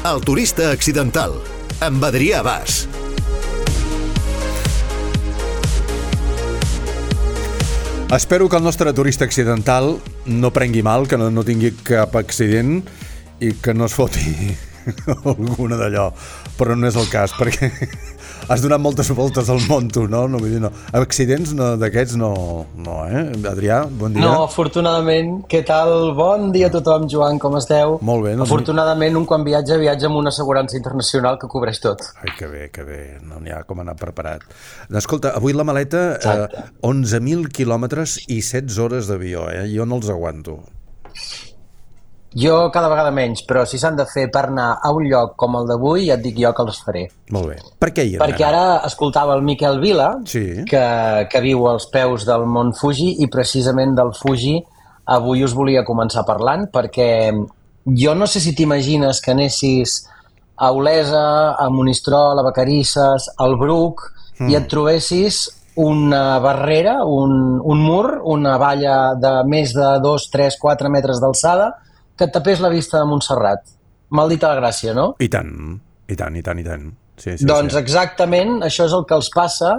El turista accidental, amb Adrià Bas. Espero que el nostre turista accidental no prengui mal, que no tingui cap accident i que no es foti alguna d'allò, però no és el cas, perquè has donat moltes voltes al món, tu, no? No, vull dir, no. Accidents d'aquests no, Adrià, bon dia. No, afortunadament. Què tal? Bon dia a tothom, Joan, com esteu? Molt bé. Afortunadament, un quan viatja amb una assegurança internacional que cobreix tot. Ai, que bé, no n'hi ha com anar preparat. Escolta, avui la maleta, 11.000 quilòmetres i 16 hores d'avió, jo no els aguanto. Jo cada vegada menys, però si s'han de fer per anar a un lloc com el d'avui, ja et dic jo que els faré. Molt bé. Per què hi anem? Perquè ara escoltava el Miquel Vila, sí, que viu als peus del Mont Fuji, i precisament del Fuji avui us volia començar parlant, perquè jo no sé si t'imagines que anessis a Olesa, a Monistrol, a Vacarisses, al Bruc, i et trobessis una barrera, un mur, una valla de més de 2, 3, 4 metres d'alçada, que et tapés la vista de Montserrat. Maldita la gràcia, no? I tant. Sí, doncs exactament això és el que els passa,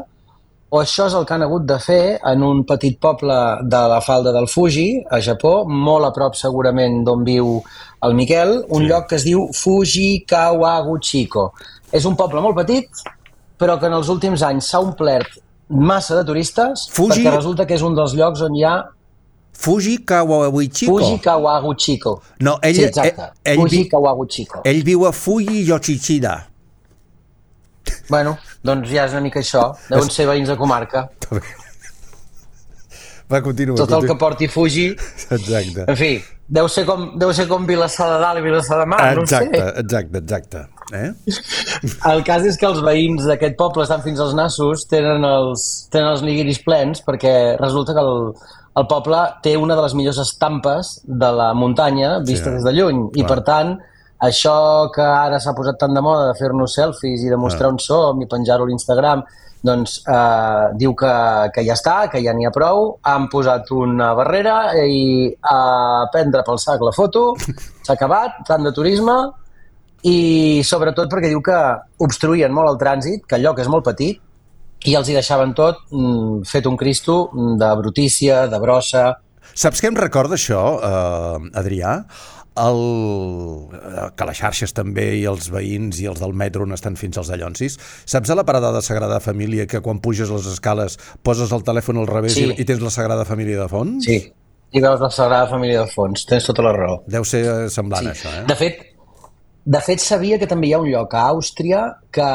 o això és el que han hagut de fer en un petit poble de la falda del Fuji, a Japó, molt a prop segurament d'on viu el Miquel, un lloc que es diu Fuji Kawaguchiko. És un poble molt petit, però que en els últims anys s'ha omplert massa de turistes, perquè resulta que és un dels llocs on hi ha Fuji Kawaguchiko. Fuji Kawaguchiko. No, ell, sí, exacte. Fuji Kawaguchiko. Ell viu a Fuji Yoshida. Bueno, doncs ja és una mica això. Deuen ser veïns de comarca. Va, continua. Tot el que porti Fuji. Exacte. En fi, deu ser com Vilassar de Dalt i Vilassar de Mar, no sé. Exacte. El cas és que els veïns d'aquest poble estan fins als nassos, tenen els nigiris plens, perquè resulta que el poble té una de les millors estampes de la muntanya vista des de lluny, i per tant això que ara s'ha posat tan de moda de fer-nos selfies i de mostrar on som i penjar-ho a l'Instagram, doncs diu que ja està, que ja n'hi ha prou, han posat una barrera i a prendre pel sac la foto, s'ha acabat, tant de turisme, i sobretot perquè diu que obstruïen molt el trànsit, que el lloc és molt petit, i els hi deixaven tot fet un cristo de brutícia, de brossa. Saps què em recorda això, Adrià? Que les xarxes també i els veïns i els del metro on estan fins als dallonsis. Saps a la parada de Sagrada Família que quan puges les escales poses el telèfon al revés i tens la Sagrada Família de fons? Sí, i veus la Sagrada Família de fons, tens tota la raó. Deu ser semblant això, De fet, sabia que també hi ha un lloc a Àustria que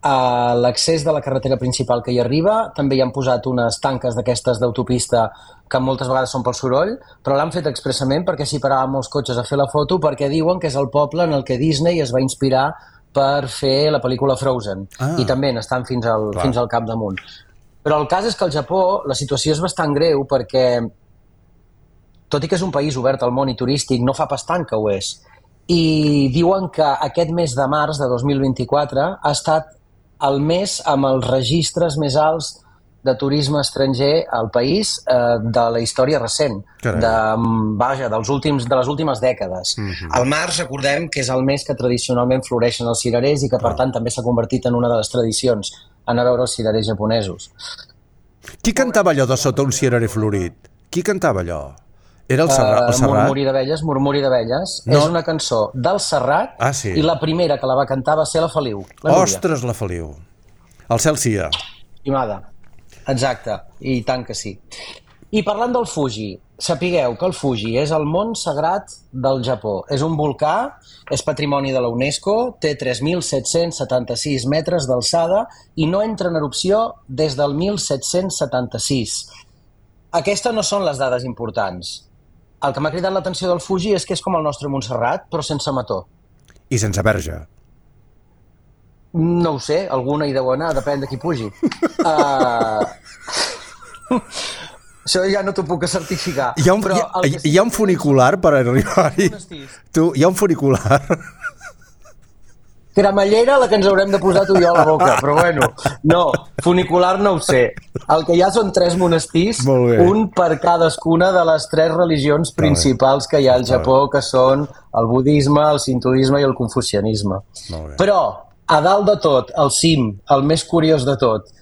a l'accés de la carretera principal que hi arriba també hi han posat unes tanques d'aquestes d'autopista que moltes vegades són pel soroll, però l'han fet expressament perquè s'hi paraven molts cotxes a fer la foto, perquè diuen que és el poble en el que Disney es va inspirar per fer la pel·lícula Frozen, i també n'estan fins al capdamunt. Però el cas és que al Japó la situació és bastant greu perquè, tot i que és un país obert al món i turístic, no fa pas tant que ho és. I diuen que aquest mes de març de 2024 ha estat el mes amb els registres més alts de turisme estranger al país de la història recent, de les últimes dècades. El març, recordem que és el mes que tradicionalment floreixen els cirerers i que, per tant, també s'ha convertit en una de les tradicions, anar a veure els cirerers japonesos. Qui cantava allò de Sota un cirerer florit? Qui cantava allò? Era el Serrat? Murmuri d'abelles. No. És una cançó del Serrat, i la primera que la va cantar va ser la Feliu. Ostres, la Feliu. El cel sia. Estimada. Exacte, i tant que sí. I parlant del Fuji, sapigueu que el Fuji és el mont sagrat del Japó. És un volcà, és patrimoni de la UNESCO, té 3.776 metres d'alçada i no entra en erupció des del 1776. Aquestes no són les dades importants. El que m'ha cridat l'atenció del Fuji és que és com el nostre Montserrat, però sense mató. I sense verge. No ho sé, alguna hi deu anar, depèn de qui pugi. Això ja no t'ho puc certificar. Hi ha un funicular per arribar-hi. Hi ha un funicular. Cremallera la que ens haurem de posar tu i jo a la boca, però bueno, no, funicular no ho sé. El que hi ha són 3 monestirs, un per cadascuna de les 3 religions principals que hi ha al Japó, que són el budisme, el sintoisme i el confucianisme. Però, a dalt de tot, al cim, el més curiós de tot,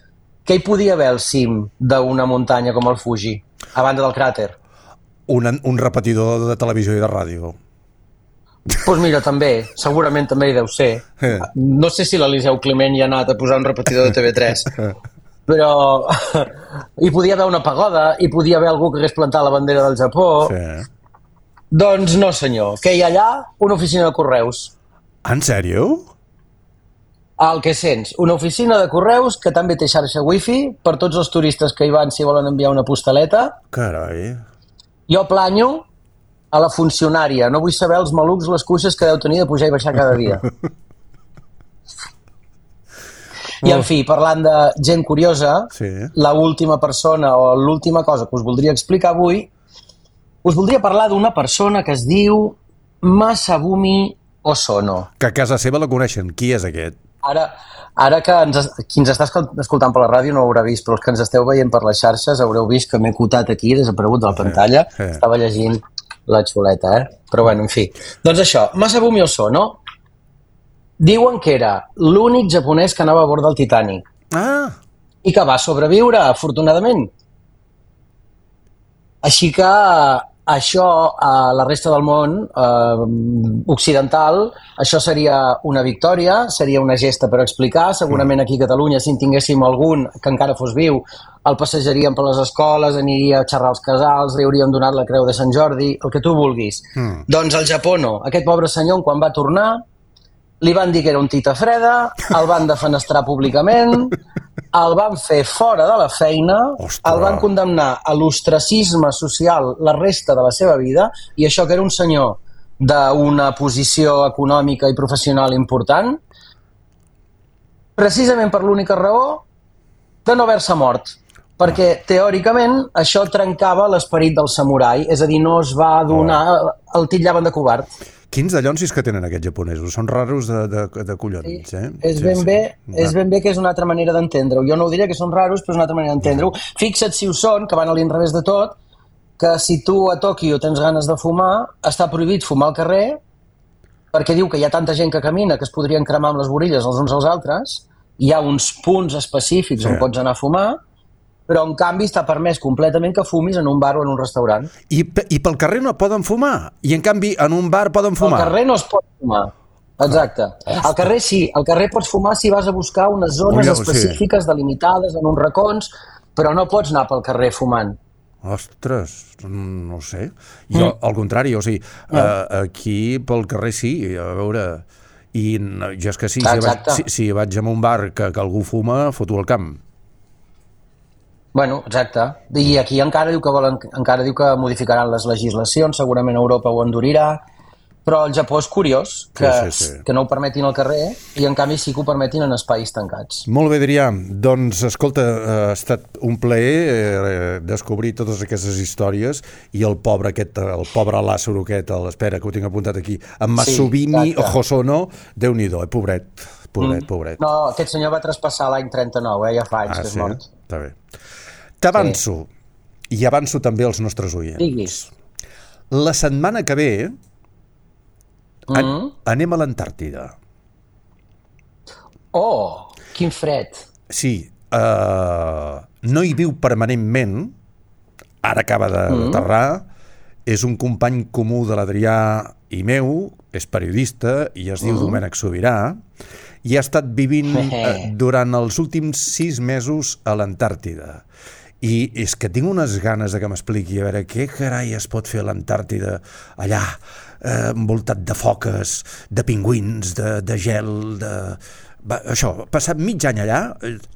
què hi podia haver al cim d'una muntanya com el Fuji, a banda del cràter? Un repetidor de televisió i de ràdio. Doncs mira, també, segurament també hi deu ser. No sé si l'Eliseu Climent hi ha anat a posar un repetidor de TV3, però hi podia haver una pagoda, hi podia haver algú que hagués plantat la bandera del Japó. Doncs no, senyor. Què hi ha allà? Una oficina de correus. En sèrio? El que sents, una oficina de correus que també té xarxa wifi per tots els turistes que hi van si volen enviar una postaleta. Carai. Jo planyo a la funcionària. No vull saber els malucs, les cuixes que deu tenir de pujar i baixar cada dia. I, en fi, parlant de gent curiosa, l'última persona o l'última cosa que us voldria explicar avui, us voldria parlar d'una persona que es diu Masabumi Osono. Que a casa seva la coneixen. Qui és aquest? Ara que qui ens està escoltant per la ràdio no ho haurà vist, però els que ens esteu veient per les xarxes haureu vist que m'he cotat aquí, desaparegut de la pantalla. Estava llegint la xuleta, Però bueno, en fi. Doncs això, Masabumi Osono diuen que era l'únic japonès que anava a bord del Titanic. I que va sobreviure, afortunadament. Així que això a la resta del món occidental, això seria una victòria, seria una gesta per explicar. Segurament aquí a Catalunya, si en tinguéssim algun que encara fos viu, el passejaríem per les escoles, aniria a xerrar als casals, li hauríem donat la creu de Sant Jordi, el que tu vulguis. Doncs al Japó no. Aquest pobre senyor, quan va tornar, li van dir que era un tita freda, el van defenestrar públicament, el van fer fora de la feina, el van condemnar a l'ostracisme social la resta de la seva vida, i això que era un senyor d'una posició econòmica i professional important, precisament per l'única raó de no haver-se mort. Perquè, teòricament, això trencava l'esperit del samurai, és a dir, no es va donar... el titllaven de covard. Quins dallonsis que tenen aquests japonesos. Són raros de collons, És ben bé que és una altra manera d'entendre-ho. Jo no ho diria que són raros, però és una altra manera d'entendre-ho. Fixa't si ho són, que van a l'inrevés de tot, que si tu a Tòquio tens ganes de fumar, està prohibit fumar al carrer, perquè diu que hi ha tanta gent que camina que es podrien cremar amb les borilles els uns als altres, hi ha uns punts específics on pots anar a fumar, però en canvi està permès completament que fumis en un bar o en un restaurant. I pel carrer no poden fumar? I en canvi en un bar poden fumar? Al carrer no es pot fumar. Exacte. Al carrer sí, al carrer pots fumar si vas a buscar unes zones específiques delimitades en uns racons, però no pots anar pel carrer fumant. Ostres, no sé. Jo, al contrari, o sigui, aquí pel carrer sí, a veure... I jo és que sí, si vaig a un bar que algú fuma, foto el camp. Bueno, exacte. I aquí encara diu que modificaran les legislacions, segurament Europa ho endurirà, però el Japó és curiós que no ho permetin al carrer i en canvi sí que ho permetin en espais tancats. Molt bé, Adrià. Doncs, escolta, ha estat un plaer descobrir totes aquestes històries i el pobre Lázaro aquest, espera, que ho tinc apuntat aquí, en Masabumi Osono, Déu-n'hi-do, pobret. No, aquest senyor va traspassar l'any 39, ja fa anys que és mort. Està bé. T'avanço, i avanço també als nostres oients. Diguis. La setmana que ve anem a l'Antàrtida. Oh, quin fred. Sí, no hi viu permanentment, ara acaba d'aterrar, és un company comú de l'Adrià i meu, és periodista i es diu Domènec Sobirà, i ha estat vivint durant els últims 6 mesos a l'Antàrtida. I és que tinc unes ganes de que m'expliqui a veure què carai es pot fer a l'Antàrtida allà, envoltat de foques, de pingüins, de gel, això, passar mig any allà.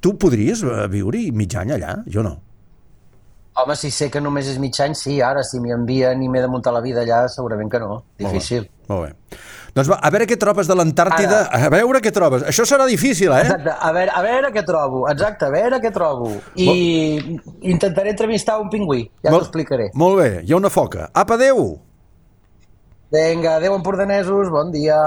Tu podries viure-hi mig any allà? Jo no. Home, si sé que només és mig any, sí, ara si m'hi envien i m'he de muntar la vida allà, segurament que no. Difícil. Molt bé. Doncs va, a veure què trobes de l'Antàrtida, a veure què trobes. Això serà difícil, Exacte, a veure què trobo, I intentaré entrevistar un pingüí, ja t'ho explicaré. Molt bé, hi ha una foca. Apa, adéu! Vinga, adéu, empordanesos, bon dia.